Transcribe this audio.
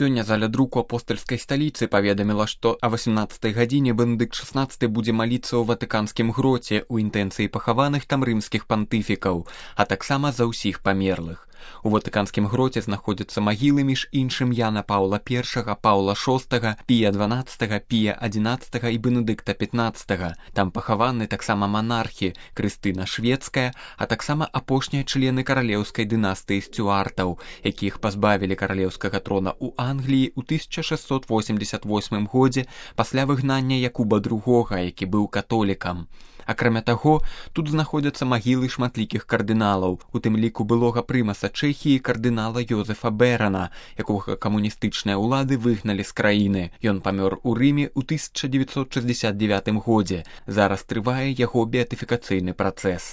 Сёння заля друку апостальскай сталіцы паведаміла, што о 18 гадзіне Бенедыкт XVI будзе маліцца ў Ватыканскім гроце ў інтэнцыі пахаваных там рымскіх пантыфікаў, а таксама за ўсіх памерлых. У Ватыканскім гроце знаходзяцца магілы між іншым Яна Паўла I, Паўла VI, Пія XII, Пія XI і Бенедыкта XV. Там пахаваны таксама манархі Крыстына Шведская, а таксама апошнія члены каралеўскай дынастыі Сцюартаў, якіх пазбавілі каралеўскага трона ў Англіі ў 1688 годзе пасля выгнання Якуба II, які быў католікам. Акрамя таго, тут знаходзяцца магілы шматлікіх кардыналаў, у тым ліку былога прымаса Чэхіі кардынала Йозефа Бэрана, якога камуністычныя ўлады выгналі з краіны. Ён памёр у Рыме ў 1969 годзе. Зараз трывае яго беатыфікацыйны працэс.